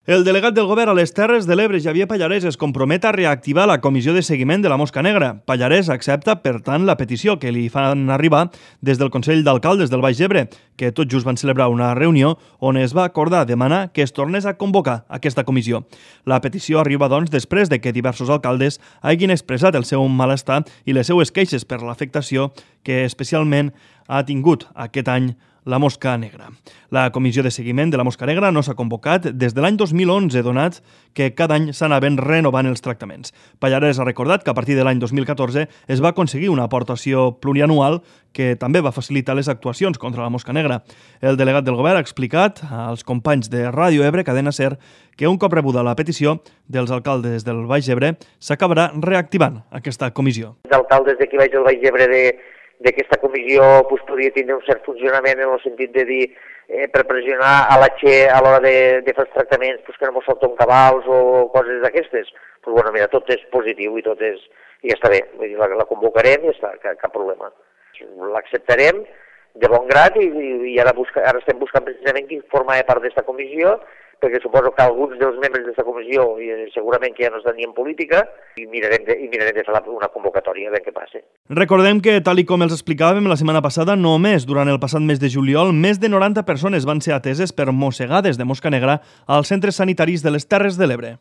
El delegat del govern a les Terres de l'Ebre, Xavier Pallarès, es compromet a reactivar la comissió de seguiment de la mosca negra. Pallarès accepta, per tant, la petició que li fan arribar des del Consell d'Alcaldes del Baix Ebre, que tot just van celebrar una reunió on es va acordar demanar que es tornés a convocar aquesta comissió. La petició arriba, doncs, després de que diversos alcaldes hagin expressat el seu malestar i les seues queixes per l'afectació que especialment ha tingut aquest any la mosca negra. La comissió de seguiment de la mosca negra no s'ha convocat des de l'any 2011, donat que cada any s'anaven renovant els tractaments. Pallarès ha recordat que a partir de l'any 2014 es va aconseguir una aportació plurianual que també va facilitar les actuacions contra la mosca negra. El delegat del govern ha explicat als companys de Ràdio Ebre, Cadena SER, que un cop rebuda la petició dels alcaldes del Baix Ebre s'acabarà reactivant aquesta comissió. Els alcaldes d'aquí baix del Baix Ebre d'aquesta comissió podria tindre un cert funcionament en el sentit de dir per pressionar a la Che a l'hora de fer els tractaments que no mos salten cabals o coses d'aquestes. Bueno, mira, tot és positiu i tot és... i ja està bé, la convocarem i ja està, cap problema. L'acceptarem de bon grat i ara estem buscant precisament qui forma part d'esta comissió, perquè suposo que alguns dels membres d'aquesta comissió segurament que ja no estan ni en política i mirarem de fer una convocatòria, a veure què passa. Recordem que, tal i com els explicàvem la setmana passada, només durant el passat mes de juliol, més de 90 persones van ser ateses per mossegades de mosca negra als centres sanitaris de les Terres de l'Ebre.